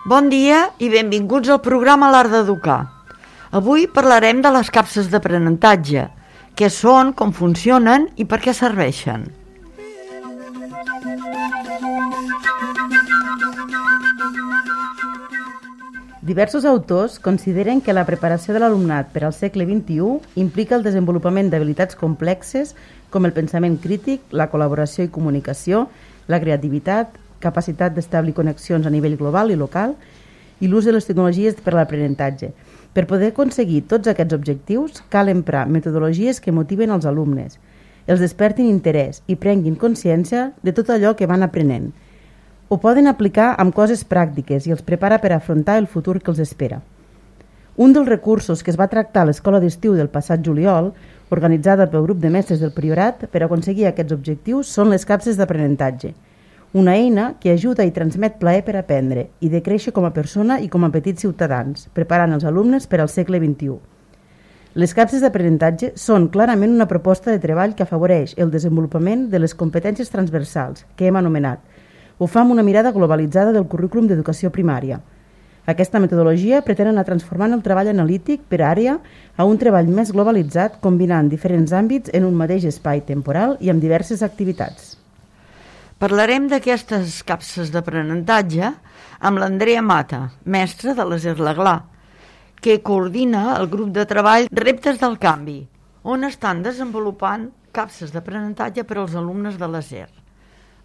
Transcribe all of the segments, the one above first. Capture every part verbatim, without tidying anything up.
Bon dia i benvinguts al programa L'Art d'Educar. Avui parlarem de les capses d'aprenentatge, què són, com funcionen i per què serveixen. Diversos autors consideren que la preparació de l'alumnat per al segle vint-i-u implica el desenvolupament d'habilitats complexes com el pensament crític, la col·laboració i comunicació, la creativitat, capacitat d'establir connexions a nivell global i local i l'ús de les tecnologies per a l'aprenentatge. Per poder aconseguir tots aquests objectius, cal emprar metodologies que motiven els alumnes, els despertin interès i prenguin consciència de tot allò que van aprenent. Ho poden aplicar amb coses pràctiques i els prepara per afrontar el futur que els espera. Un dels recursos que es va tractar a l'escola d'estiu del passat juliol, organitzada pel grup de mestres del Priorat per aconseguir aquests objectius, són les capses d'aprenentatge, una eina que ajuda i transmet plaer per aprendre i de créixer com a persona i com a petits ciutadans, preparant els alumnes per al segle vint-i-u. Les capses d'aprenentatge són clarament una proposta de treball que afavoreix el desenvolupament de les competències transversals que hem anomenat. Ho fa amb una mirada globalitzada del currículum d'educació primària. Aquesta metodologia pretén anar transformant el treball analític per àrea a un treball més globalitzat combinant diferents àmbits en un mateix espai temporal i amb diverses activitats. Parlarem d'aquestes capses d'aprenentatge amb l'Andrea Mata, mestra de l'A S E R L'Aglà, que coordina el grup de treball Reptes del Canvi, on estan desenvolupant capses d'aprenentatge per als alumnes de l'A S E R.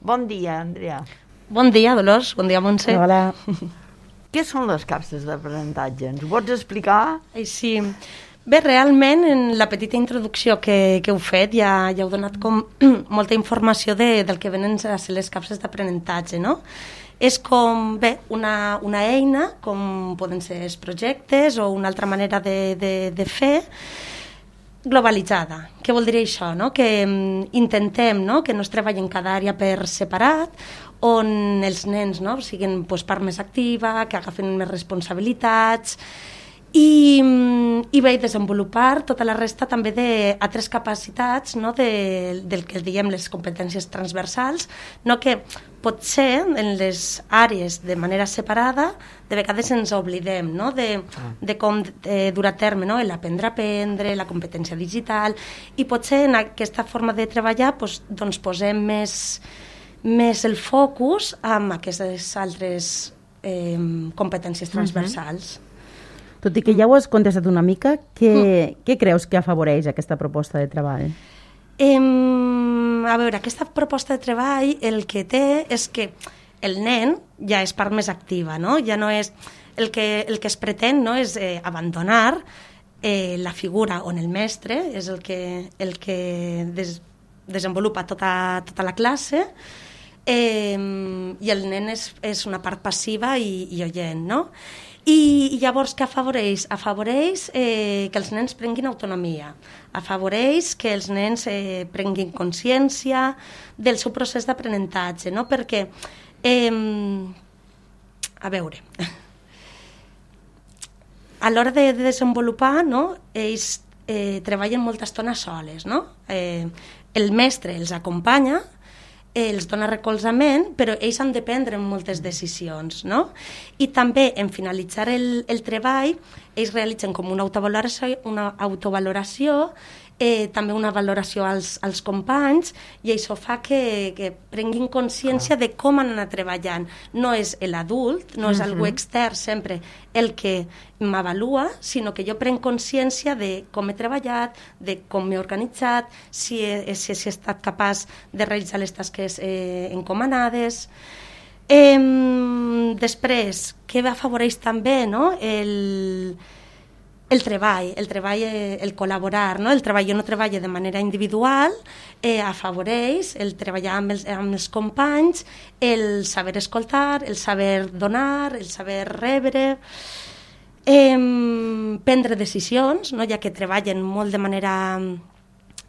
Bon dia, Andrea. Bon dia, Dolors. Bon dia, Montse. Hola. Què són les capses d'aprenentatge? Ens ho pots explicar? Sí. Bé, realment, en la petita introducció que, que heu fet ja, ja heu donat com molta informació de, del que venen a ser les capses d'aprenentatge, no? És com, bé, una, una eina, com poden ser els projectes o una altra manera de, de, de fer, globalitzada. Què vol dir això? No? Que um, intentem, no?, que no es treballi en cada àrea per separat, on els nens, no?, siguin pues, part més activa, que agafen més responsabilitats, i, i bé, desenvolupar tota la resta també d'altres capacitats, no?, de, del que diem les competències transversals, no?, que potser en les àrees de manera separada de vegades ens oblidem, no?, de, de com de dur a terme, no?, l'aprendre a aprendre, la competència digital, i potser en aquesta forma de treballar doncs, doncs posem més, més el focus en aquestes altres eh, competències transversals. Uh-huh. Tot i que ja ho has contestat una mica, què, mm. què creus que afavoreix aquesta proposta de treball? Eh, a veure, aquesta proposta de treball el que té és que el nen ja és part més activa, no? Ja no és el que, el que es pretén, no? És eh, abandonar eh, la figura on el mestre és el que, el que des, desenvolupa tota, tota la classe, eh, i el nen és, és una part passiva i, i oient, no? I, i llavors què afavoreix? Afavoreix eh, que els nens prenguin autonomia, afavoreix que els nens eh, prenguin consciència del seu procés d'aprenentatge, no? Perquè, eh, a veure, a l'hora de, de desenvolupar, no?, ells eh, treballen molta estona soles, no? Eh, el mestre els acompanya, els dona recolzament, però ells han de prendre moltes decisions, no? I també, en finalitzar el, el treball, ells realitzen com una autovaloració, una autovaloració eh, també una valoració als, als companys, i això fa que, que prenguin consciència de com han anat treballant. No és l'adult, no és uh-huh. algú extern sempre el que m'avalua, sinó que jo prenc consciència de com he treballat, de com m'he organitzat, si he, si he estat capaç de realitzar les tasques eh, encomanades. Eh, després, què afavoreix també, no?, el... El treball, el treball, el col·laborar, no? El treball, jo no treballo de manera individual, eh, afavoreix el treballar amb els, amb els companys, el saber escoltar, el saber donar, el saber rebre, eh, prendre decisions, no? Ja que treballen molt de manera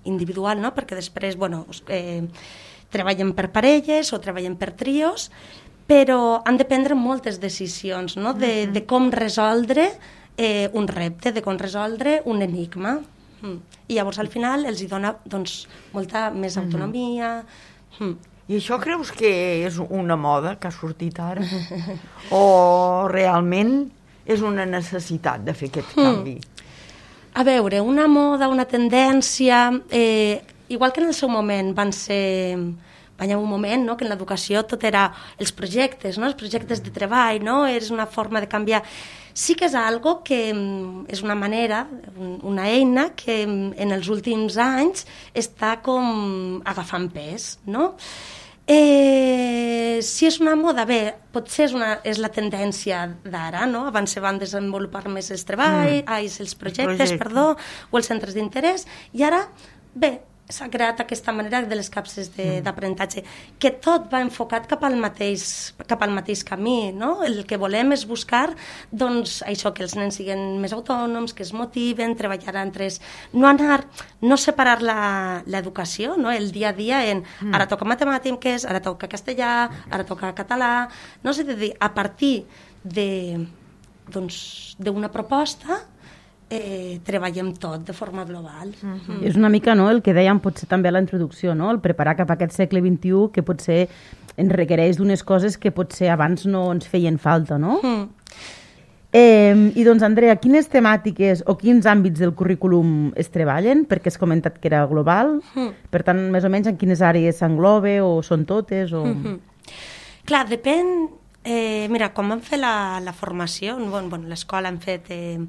individual, no? Perquè després, bueno, eh, treballen per parelles o treballen per trios, però han de prendre moltes decisions, no? De, de com resoldre Eh, un repte, de com resoldre un enigma. Mm. I llavors al final els hi dona doncs, molta més autonomia. Mm. I això creus que és una moda que ha sortit ara? O realment és una necessitat de fer aquest canvi? Mm. A veure, una moda, una tendència... Eh, igual que en el seu moment van ser... Hi ha un moment no, que en l'educació tot era els projectes, no? Els projectes de treball, no? És una forma de canviar. Sí que és algo que és una manera, una eina que en els últims anys està com agafant pes, no? Eh, si és una moda, bé, potser és, una, és la tendència d'ara, no? Abans se van desenvolupar més els treballs, mm. ai, els projectes, Projecte. perdó, o els centres d'interès, i ara, bé, s'ha creat aquesta manera de les capses d'aprenentatge, mm. que tot va enfocat cap al mateix, cap al mateix camí, no? El que volem és buscar, doncs, això, que els nens siguin més autònoms, que es motiven, treballar entre ells, no anar, no separar l'educació, no? El dia a dia en, mm. ara toca matemàtiques, ara toca castellà, ara toca català, no sé, de dir, a partir de, doncs, d'una proposta, Eh, treballem tot de forma global. Uh-huh. Mm. És una mica no, el que dèiem potser també a la introducció, no? El preparar cap a aquest segle vint-i-u que potser ens requereix d'unes coses que potser abans no ens feien falta, no? Mm. Eh, I doncs, Andrea, quines temàtiques o quins àmbits del currículum es treballen? Perquè has comentat que era global, mm. per tant, més o menys en quines àrees s'engloba o són totes? O... Mm-hmm. Clar, depèn... Eh, mira, quan vam fer la, la formació, bon, bon, l'escola hem fet eh,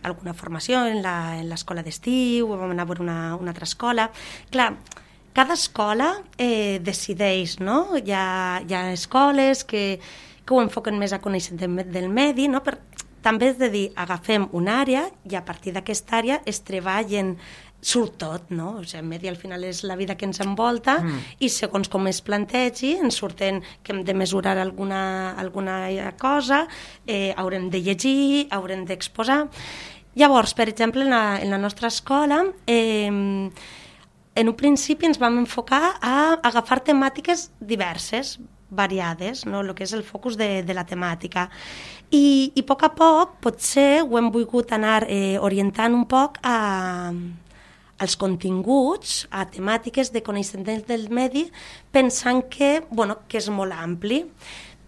alguna formació en l'escola d'estiu, vam anar a veure una, una altra escola. Clar, cada escola eh, decideix, no? Hi ha, hi ha escoles que, que ho enfoquen més a coneixement del medi, no? Per, també és de dir, agafem una àrea i a partir d'aquesta àrea es treballen surt tot, no? O sigui, el medi al final és la vida que ens envolta mm. i segons com es plantegi ens surten que hem de mesurar alguna, alguna cosa, eh, haurem de llegir, haurem d'exposar. Llavors, per exemple, en la, en la nostra escola, eh, en un principi ens vam enfocar a agafar temàtiques diverses, variades, no? El que és el focus de, de la temàtica. I, i a poc a poc, potser ho hem volgut anar eh, orientant un poc a... als continguts, a temàtiques de coneixement del medi, pensant que, bueno, que és molt ampli,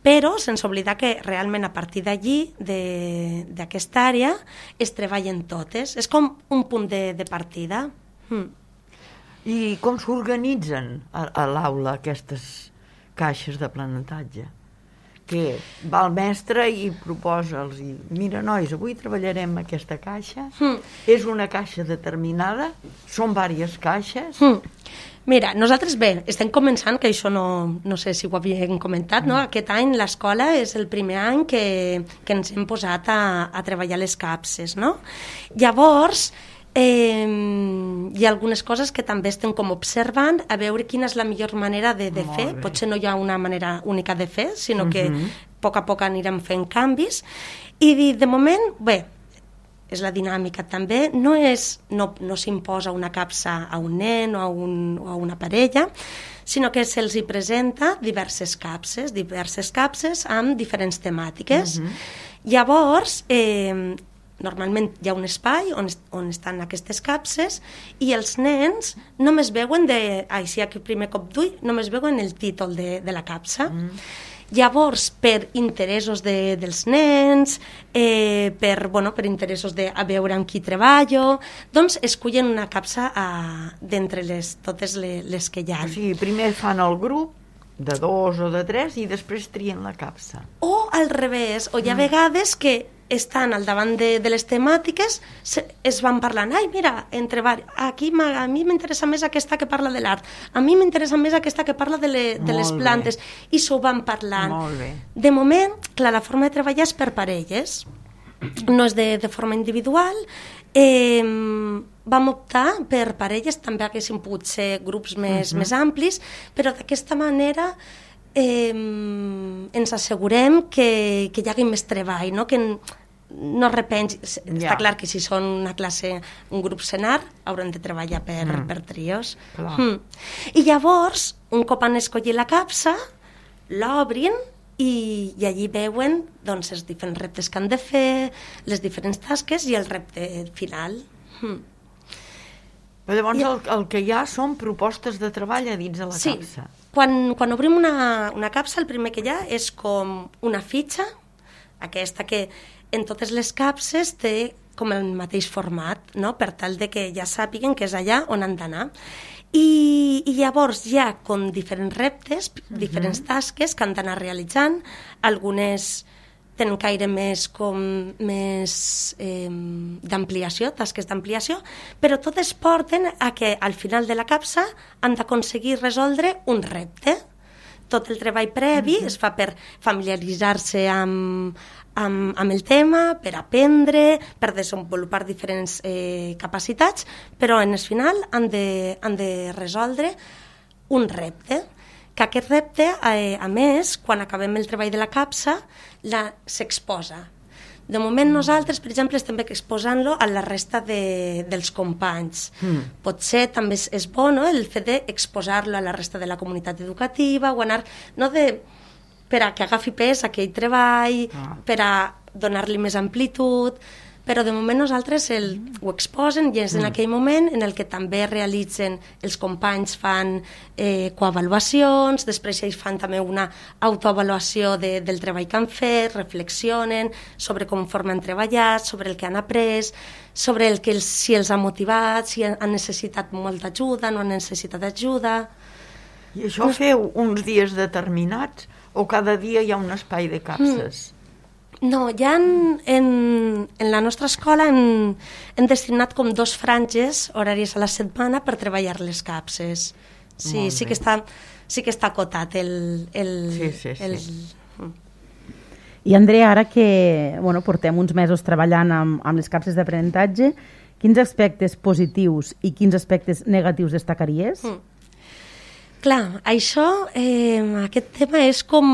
però sense oblidar que realment a partir d'allí, d'aquesta àrea, es treballen totes. És com un punt de, de partida. Mm. I com s'organitzen a, a l'aula aquestes caixes d'aprenentatge? Que va el mestre i proposa els i mira, nois, avui treballarem aquesta caixa, mm. és una caixa determinada, són diverses caixes. Mm. Mira, nosaltres bé, estem començant, que això no, no sé si ho havíem comentat, mm. no? Aquest any l'escola és el primer any que, que ens hem posat a, a treballar les capses, no? Llavors, Eh, hi ha algunes coses que també estem com observant a veure quina és la millor manera de, de fer. Potser no hi ha una manera única de fer, sinó uh-huh. que a poc a poc anirem fent canvis. I de moment, bé, és la dinàmica també, no, és, no, no s'imposa una capsa a un nen o a, un, o a una parella, sinó que se'ls hi presenta diverses capses, diverses capses amb diferents temàtiques. Uh-huh. Llavors, eh, normalment hi ha un espai on, on estan aquestes capses i els nens només veuen, de, així aquí primer cop d'ull, només veuen el títol de, de la capsa. Mm. Llavors, per interessos de, dels nens, eh, per, bueno, per interessos de a veure amb qui treballo, doncs escullen una capsa d'entre les, totes les, les que hi ha. O sigui, primer fan el grup de dos o de tres i després trien la capsa. O al revés, o hi ha mm. vegades que estan al davant de, de les temàtiques, se, es van parlant, ai, mira, entre aquí a mi m'interessa més aquesta que parla de l'art, a mi m'interessa més aquesta que parla de, le, de les plantes, bé. I s'ho van parlant. Molt bé. De moment, clar, la forma de treballar és per parelles, no és de, de forma individual. Eh, vam optar per parelles, també haguessin pogut ser grups més, uh-huh. més amplis, però d'aquesta manera Eh, ens assegurem que, que hi hagi més treball, no? Que no repensi. Yeah. Està clar que si són una classe, un grup senar, haurem de treballar per, mm. per trios. Mm. I llavors, un cop han escollit la capsa, l'obrin i, i allí veuen doncs, els diferents reptes que han de fer, les diferents tasques i el repte final. Mm. Però llavors el, el que hi ha són propostes de treball a dins de la sí. capsa. Quan, quan obrim una, una capsa, el primer que hi ha és com una fitxa, aquesta que en totes les capses té com el mateix format, no? Per tal de que ja sàpiguen que és allà on han d'anar. I, I llavors hi ha com diferents reptes, uh-huh. diferents tasques que han d'anar realitzant. Algunes tenen caire més com més eh, d'ampliació, tasques d'ampliació, però totes porten a que al final de la capsa han d'aconseguir resoldre un repte. Tot el treball previ uh-huh. es fa per familiaritzar-se amb, amb, amb el tema, per aprendre, per desenvolupar diferents eh, capacitats, però en el final han de, han de resoldre un repte, que aquest repte, eh, a més, quan acabem el treball de la capsa, s'exposa. De moment nosaltres, per exemple, estem exposant-lo a la resta de, dels companys. Mm. Potser també és, és bo, no?, el fet d'exposar-lo a la resta de la comunitat educativa, o anar, no de, per a que agafi pes aquell treball, ah. per a donar-li més amplitud, però de moment nosaltres el, ho exposen i és en aquell moment en el que també realitzen, els companys fan eh, coavaluacions, després ells fan també una autoavaluació de, del treball que han fet, reflexionen sobre com han treballat, sobre el que han après, sobre el que els, si els ha motivat, si han necessitat molta ajuda, no han necessitat ajuda. I això feu uns dies determinats o cada dia hi ha un espai de capses? Mm. No, ja en, en, en la nostra escola hem, hem destinat com dos franges horàries a la setmana per treballar les capses. Sí, sí que, està, sí que està acotat el... el, sí, sí, sí. el... I Andrea, ara que bueno, portem uns mesos treballant amb, amb les capses d'aprenentatge, quins aspectes positius i quins aspectes negatius destacaries? Mm. Clar, això, eh, aquest tema és com,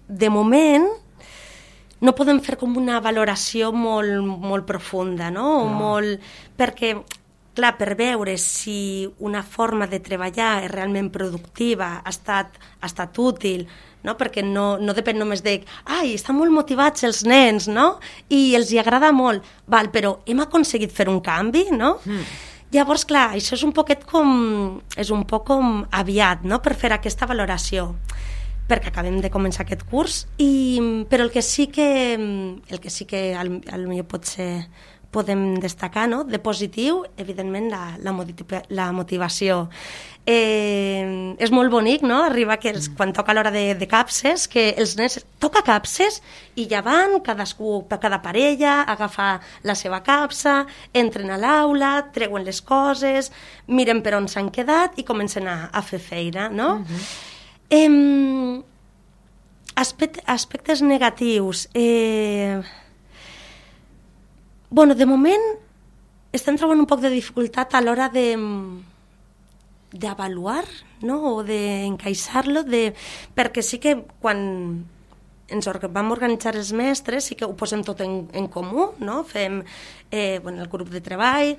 de moment, no podem fer com una valoració molt, molt profunda, no? O molt, perquè, clar, per veure si una forma de treballar és realment productiva, ha estat, ha estat útil, no? Perquè no, no depèn només de ai, estan molt motivats els nens, no? I els hi agrada molt, val, però hem aconseguit fer un canvi, no? Mm. Llavors, clar, això és un poquet com, és un poc com aviat, no?, per fer aquesta valoració, perquè acabem de començar aquest curs, i, però el que sí que, el que, sí que al, al millor potser podem destacar, no?, de positiu, evidentment, la, la, motiva, la motivació. Eh, és molt bonic, no?, arribar que els, quan toca l'hora de, de capses, que els nens toca capses i ja van, cadascú, cada parella, agafa la seva capsa, entren a l'aula, treuen les coses, miren per on s'han quedat i comencen a, a fer feina, no? Uh-huh. Eh, aspect, aspectes negatius. Eh, bueno, de moment estem trobant un poc de dificultat a l'hora de d'avaluar, no?, o d'encaixar-lo, de, perquè sí que quan ens vam organitzar els mestres sí que ho posem tot en, en comú, no? Fem eh, bueno, el grup de treball,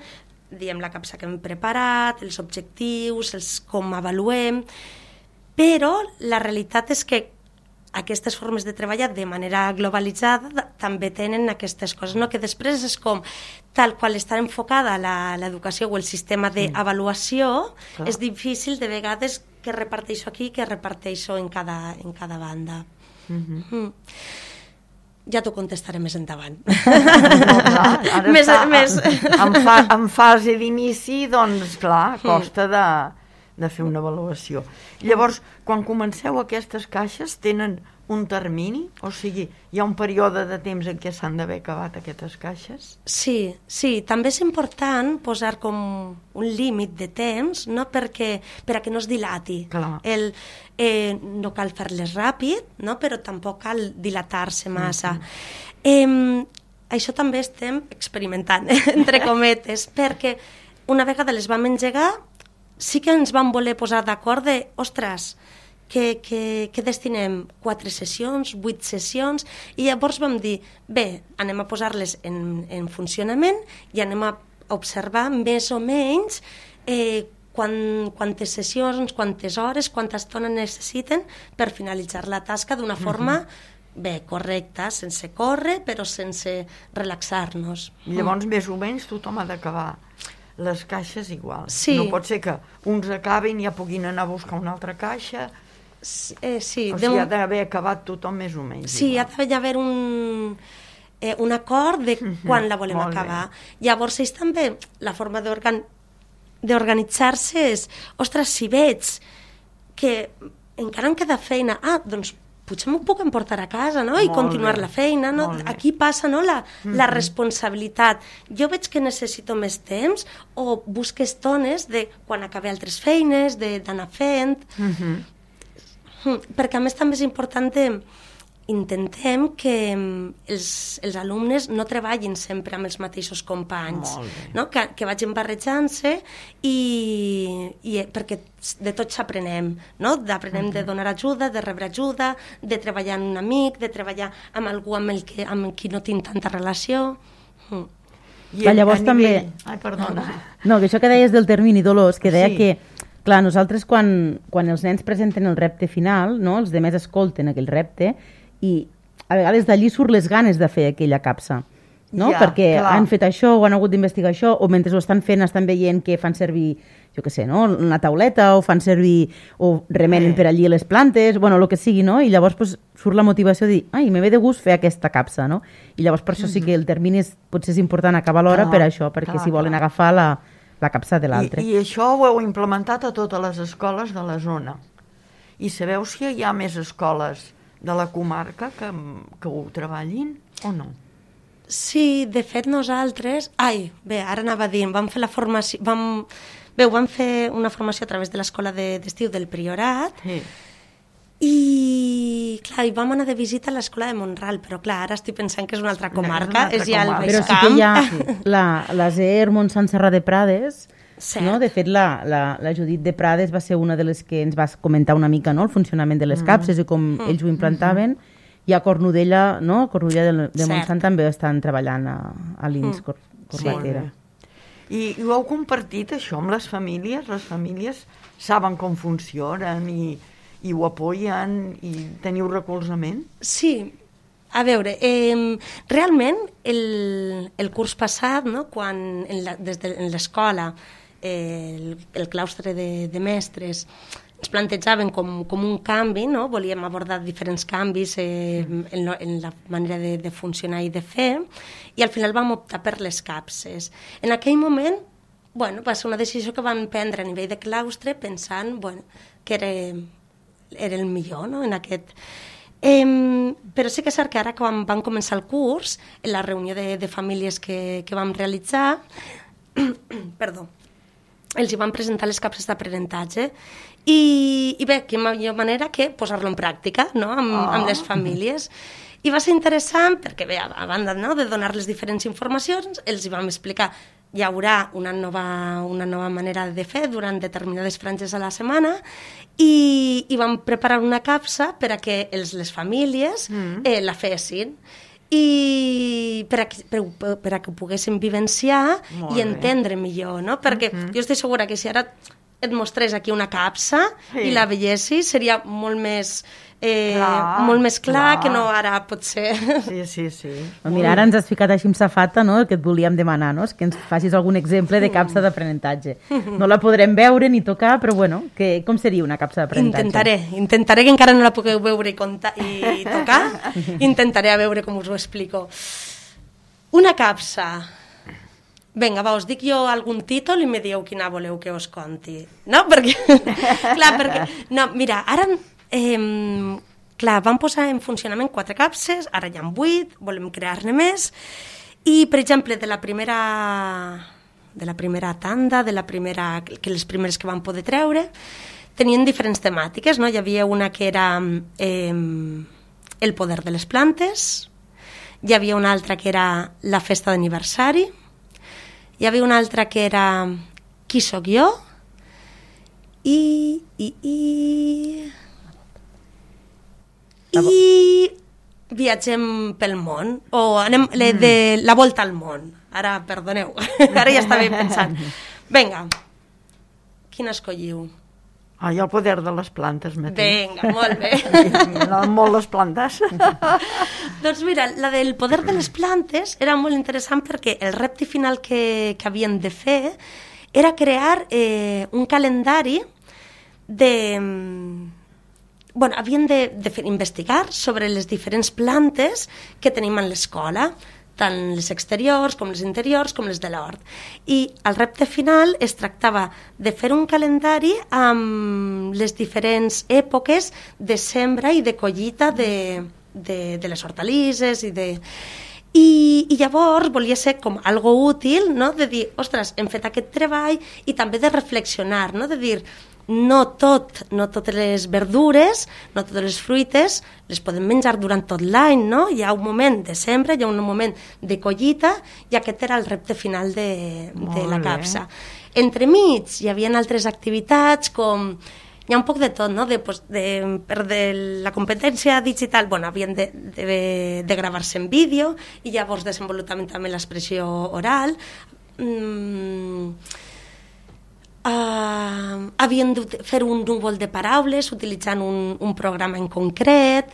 diem la capsa que hem preparat, els objectius, els com avaluem, però la realitat és que aquestes formes de treballar de manera globalitzada també tenen aquestes coses, no? Que després és com, tal qual està enfocada l'educació o el sistema d'avaluació, mm. és difícil de vegades que reparteixo aquí, que reparteixo en cada, en cada banda. Mm-hmm. Mm. Ja t'ho contestaré més endavant. No, clar, ara més, està més... En, fa, en fase d'inici, doncs clar, costa de... de fer una avaluació. Llavors, quan comenceu aquestes caixes, tenen un termini? O sigui, hi ha un període de temps en què s'han d'haver acabat aquestes caixes? Sí, sí. També és important posar com un límit de temps, no? Perquè, per a que no es dilati. El, eh, no cal fer-les ràpid, no? Però tampoc cal dilatar-se massa. Mm-hmm. eh, això també estem experimentant, entre cometes, perquè una vegada les vam engegar, sí que ens vam voler posar d'acord de, ostres, que, que, que destinem quatre sessions, vuit sessions, i llavors vam dir, bé, anem a posar-les en, en funcionament i anem a observar més o menys eh, quan, quantes sessions, quantes hores, quanta estona necessiten per finalitzar la tasca d'una forma bé, correcta, sense córrer, però sense relaxar-nos. I llavors, més o menys, tothom ha d'acabar les caixes igual. Sí. No pot ser que uns acabin i ja puguin anar a buscar una altra caixa. Eh, sí, o de... sigui, ha d'haver acabat tothom més o menys. Sí, igual. ha d'haver un, eh, un acord de quan la volem Molt acabar. bé. Llavors, ells també, la forma d'organ... d'organitzar-se és, ostres, si veig que encara em queda feina, ah, doncs potser m'ho puc emportar a casa, no? I Molt continuar bé. la feina, no? Molt bé. Aquí passa, no?, la, la responsabilitat. Jo veig que necessito més temps o busco estones de quan acabe altres feines, de- d'anar fent... Mhm. Mm, perquè a més també és important de, intentem que mm, els, els alumnes no treballin sempre amb els mateixos companys, Molt bé. no? que, que vagin barrejant-se i, i perquè de tot s'aprenem, no? D'aprenem de donar ajuda, de rebre ajuda, de treballar amb un amic, de treballar amb algú amb, el que, amb qui no tinc tanta relació. Mm. I Clar, a- llavors a també- nivell- Ai, perdona. No, que això que deies del termini, Dolors, que deia Sí. que, clar, nosaltres quan, quan els nens presenten el repte final, no, els demés escolten aquell repte i a vegades d'allí surt les ganes de fer aquella capsa, no? Ja, Perquè clar. han fet això o han hagut d'investigar això o mentre ho estan fent estan veient que fan servir, jo què sé, no? Una tauleta o fan servir o remenen Eh. per allí les plantes, bueno, el que sigui, no? I llavors pues, surt la motivació de dir, ai, me ve de gust fer aquesta capsa, no? I llavors per això sí que el termini és, potser és important acabar l'hora Clar, per això, perquè clar, si volen clar. agafar la, la capsa de l'altre. I, I això ho heu implementat a totes les escoles de la zona. I sabeu si hi ha més escoles de la comarca que, que ho treballin o no? Sí, de fet nosaltres... Ai, bé, ara anava a dir, vam fer la formació... Vam... Bé, vam fer una formació a través de l'escola de- d'estiu del Priorat Sí. i, clar, i vam anar de visita a l'escola de Montral, però clar, ara estic pensant que és una altra No, és una comarca, altra és ja el comarca. Baix Però sí Camp. que hi ha la, la Z E R Montsant Serra de Prades, Cert. no? De fet, la, la, la Judit de Prades va ser una de les que ens va comentar una mica, no?, el funcionament de les capses i com Mm. ells ho implantaven. I a Cornudella, no?, a Cornudella de, de Cert. Montsant també estan treballant a, a l'I N S Mm. Cor Sí. Corbatera. I, I ho heu compartit, això, amb les famílies? Les famílies saben com funcionen i, i ho apoyen i teniu recolzament? Sí, a veure, eh, realment el, el curs passat, no, quan en la, des de en l'escola eh, el, el claustre de, de mestres ens plantejaven com, com un canvi, no? Volíem abordar diferents canvis eh, en, lo, en la manera de, de funcionar i de fer, i al final vam optar per les capses. En aquell moment, bueno, va ser una decisió que van prendre a nivell de claustre pensant, bueno, que era, era el millor, no?, en aquest... Eh, però sí que és cert que ara quan van començar el curs, en la reunió de, de famílies que, que vam realitzar, perdó, els hi van presentar les capses d'aprenentatge i, i bé, quina millor manera que posar-lo en pràctica, no?, amb, Oh. amb les famílies. I va ser interessant perquè, bé, a banda, no?, de donar-les diferents informacions, els hi vam explicar hi haurà una nova, una nova manera de fer durant determinades franges a la setmana i, i vam preparar una capsa per a que els, les famílies Mm. eh, la fessin i per a, que, per, per a que ho poguessin vivenciar Molt i bé. entendre millor, no? Perquè Mhm. jo estic segura que si ara et mostrés aquí una capsa Sí. i la veiessis, seria molt més, eh, Clar, molt més clar, clar. que no ara pot ser. Sí, sí, sí. Doncs mira, ara ens has ficat així amb safata, no?, el que et volíem demanar, no?, és que ens facis algun exemple de capsa d'aprenentatge. No la podrem veure ni tocar, però bueno, que, com seria una capsa d'aprenentatge? Intentaré, intentaré que encara no la pugueu veure i, contar, i tocar, intentaré a veure com us ho explico. Una capsa. Vinga, va, us dic jo algun títol i me dieu quina voleu que us conti. No? Perquè, clar, perquè... No, mira, ara... Eh, clar, vam posar en funcionament quatre capses, ara hi ha vuit, volem crear-ne més, i, per exemple, de la primera de la primera tanda, de la primera, que les primeres que vam poder treure, tenien diferents temàtiques, no? Hi havia una que era eh, el poder de les plantes, hi havia una altra que era la festa d'aniversari, hi havia una altra que era qui sóc jo, i... i, i... i viatgem pel món, o anem le, de la volta al món. Ara, perdoneu, ara ja estava pensant. Vinga, quina escolliu? Ah, i el poder de les plantes, Matí. Vinga, molt bé. M'agraden molt les plantes. Doncs mira, la del poder de les plantes era molt interessant perquè el repte final que, que havien de fer era crear eh, un calendari de... Bueno, havien de, de fer, investigar sobre les diferents plantes que tenim en l'escola, tant les exteriors com les interiors com les de l'hort. I el repte final es tractava de fer un calendari amb les diferents èpoques de sembra i de collita de, de, de les hortalisses i de... I, i llavors volia ser com algo útil, no? De dir, ostres, hem fet aquest treball, i també de reflexionar, no? De dir, no tot, no totes les verdures, no totes les fruites les podem menjar durant tot l'any, no? Hi ha un moment de sembra, hi ha un moment de collita, i aquest era el repte final de, de la capsa. Entremig hi havia altres activitats com... Hi ha un poc de tot, no? De, pues, de, per de la competència digital, bueno, havien de, de, de gravar-se en vídeo, i llavors desenvolupament també l'expressió oral. Mm, uh, havien de fer un núvol de paraules utilitzant un, un programa en concret.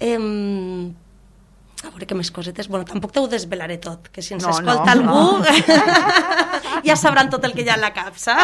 Um, a veure què més cosetes. Bueno, tampoc t'ho desvelaré tot, que si ens no, escolta no, algú no. Ja sabran tot el que hi ha a la capsa.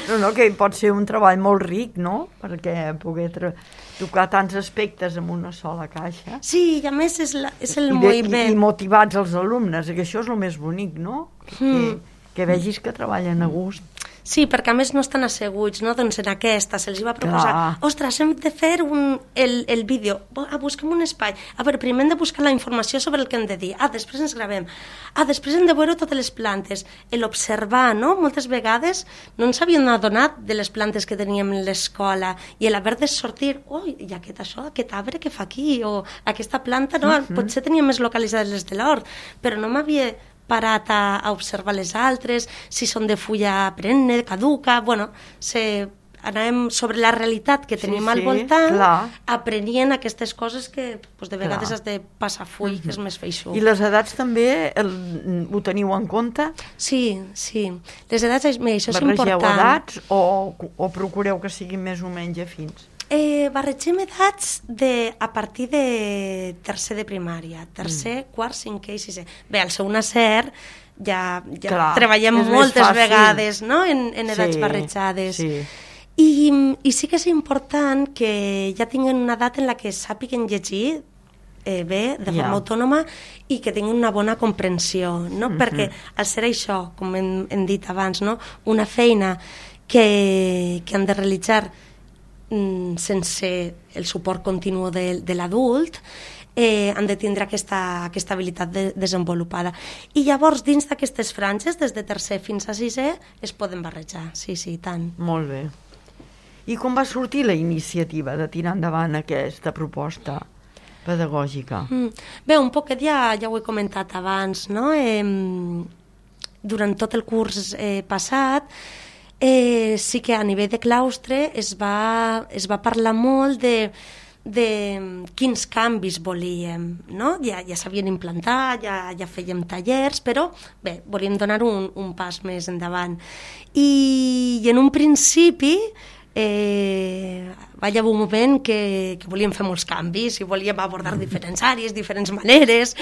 No, no, que pot ser un treball molt ric, no? Perquè poder tocar tants aspectes en una sola caixa. Sí, i a més és, la, és el I de, moviment. I, I motivats els alumnes, que això és el més bonic, no? Mm. Que, que vegis que treballen a gust. Sí, perquè a més no estan asseguts, no? Doncs en aquesta se'ls va proposar, clar. Ostres, hem de fer un, el, el vídeo, ah, busquem un espai, a veure, primer hem de buscar la informació sobre el que hem de dir, ah, després ens gravem, ah, després hem de veure totes les plantes, l'observar, no? Moltes vegades no ens havíem adonat de les plantes que teníem a l'escola, i l'haver de sortir, oh, i aquest això, aquest arbre que fa aquí, o aquesta planta, no? Uh-huh. Potser tenia més localitzades les de l'hort, però no m'havia parat a, a observar les altres, si són de fulla perenne, caduca, bueno, se, anàvem sobre la realitat que tenim sí, al voltant, sí, aprenien aquestes coses que pues, de vegades clar. Has de passar full, uh-huh. que és més feixuc. I les edats també el, ho teniu en compte? Sí, sí. Les edats, mira, això és Barregeu important. Edats o, o procureu que siguin més o menys afins? Eh, barregem edats de, a partir de tercer de primària, tercer, mm. quart, cinquè i sisè. Bé, al seu nacer ja, ja clar, treballem moltes vegades, no? en, en edats sí, barrejades. Sí. I, I sí que és important que ja tinguin una edat en la que sàpiguen llegir eh, bé, de forma yeah. autònoma, i que tinguin una bona comprensió, no? Mm-hmm. Perquè al ser això, com hem, hem dit abans, no? Una feina que, que han de realitzar sense el suport continu de, de l'adult, eh, han de tindre aquesta, aquesta habilitat de, desenvolupada. I llavors, dins d'aquestes franges, des de tercer fins a sisè, es poden barrejar, sí, sí, tant. Molt bé. I com va sortir la iniciativa de tirar endavant aquesta proposta pedagògica? Mm. Bé, un poquet ja, ja ho he comentat abans, no? Eh, durant tot el curs eh, passat, Eh, sí que a nivell de claustre es va, es va parlar molt de, de quins canvis volíem, no? Ja, ja s'havien implantat, ja, ja fèiem tallers, però bé, volíem donar un, un pas més endavant. I, i en un principi eh, va haver un moment que, que volíem fer molts canvis i volíem abordar diferents àrees, diferents maneres,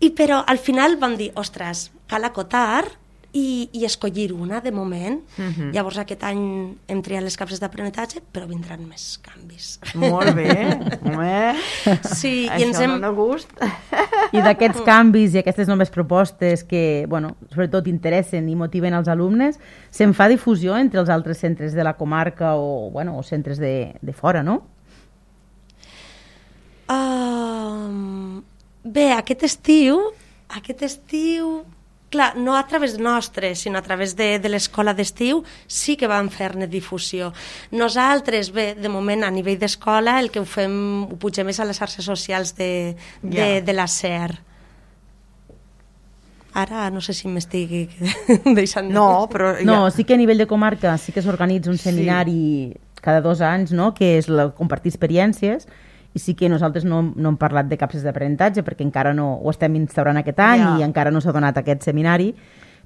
i però al final vam dir, ostres, cal acotar I, i escollir una, de moment. Uh-huh. Llavors aquest any hem triat les capses d'aprenentatge, però vindran més canvis. Molt bé, home. Sí, això i ens hem... dona gust. I d'aquests canvis i aquestes noves propostes que, bueno, sobretot interessen i motiven els alumnes, se'n fa difusió entre els altres centres de la comarca o, bueno, o centres de, de fora, no? Uh, bé, aquest estiu, aquest estiu... Clar, no a través nostre, sinó a través de, de l'escola d'estiu, sí que vam fer-ne difusió. Nosaltres, bé, de moment, a nivell d'escola, el que ho fem, ho pugem més a les xarxes socials de, de, yeah. de la S E R. Ara no sé si m'estic deixant... No, però... Ja... No, sí que a nivell de comarca sí que s'organitza un seminari sí. cada dos anys, no?, que és la, compartir experiències, i sí que nosaltres no, no hem parlat de capses d'aprenentatge perquè encara no ho estem instaurant aquest any yeah. i encara no s'ha donat aquest seminari,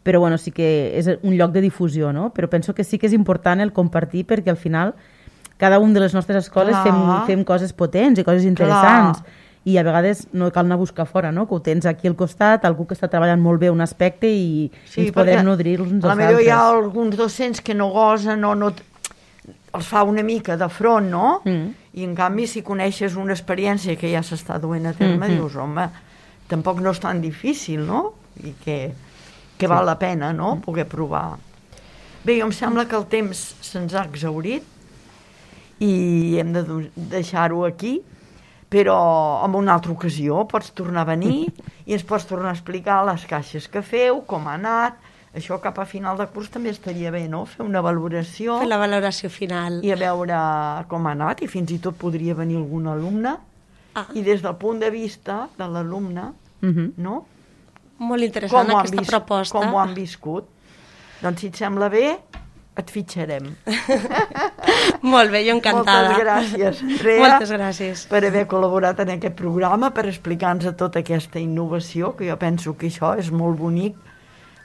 però bueno, sí que és un lloc de difusió, no? Però penso que sí que és important el compartir perquè al final cada un de les nostres escoles fem, fem coses potents i coses interessants. Clar. i a vegades no cal anar a buscar fora, no? Que ho tens aquí al costat, algú que està treballant molt bé un aspecte i sí, ens podem nodrir uns dels altres. Potser hi ha alguns docents que no gosen o no... els fa una mica de front, no? Mm. I en canvi si coneixes una experiència que ja s'està duent a terme, mm-hmm. dius, home, tampoc no és tan difícil, no? I que, que val sí. la pena, no? Poder provar. Bé, em sembla que el temps se'ns ha exhaurit i hem de deixar-ho aquí, però en una altra ocasió pots tornar a venir i ens pots tornar a explicar les caixes que feu, com ha anat. Això cap a final de curs també estaria bé, no? Fer una valoració. Fer la valoració final. I a veure com ha anat, i fins i tot podria venir algun alumne. Ah. I des del punt de vista de l'alumne, uh-huh. no? Molt interessant com aquesta vis- proposta. Com ho han viscut. Doncs si et sembla bé, et fitxarem. Molt bé, jo encantada. Moltes gràcies, Andrea. Moltes gràcies. Per haver col·laborat en aquest programa, per explicar-nos tota aquesta innovació, que jo penso que això és molt bonic,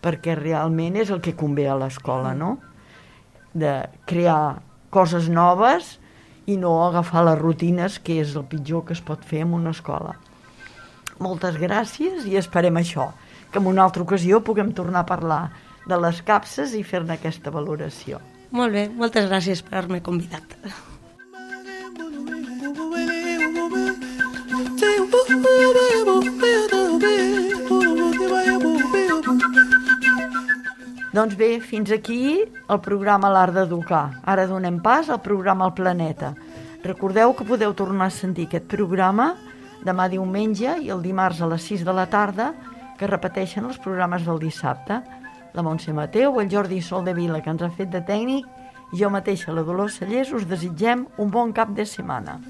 perquè realment és el que convé a l'escola, no? De crear coses noves i no agafar les rutines, que és el pitjor que es pot fer en una escola. Moltes gràcies i esperem això, que en una altra ocasió puguem tornar a parlar de les capses i fer-ne aquesta valoració. Molt bé, moltes gràcies per haver-me convidat. Doncs bé, fins aquí el programa L'Art d'Educar. Ara donem pas al programa El Planeta. Recordeu que podeu tornar a sentir aquest programa demà diumenge i el dimarts a les sis de la tarda, que repeteixen els programes del dissabte. La Montse Mateu, el Jordi Soldevila, que ens ha fet de tècnic, i jo mateixa, la Dolors Cellers, us desitgem un bon cap de setmana.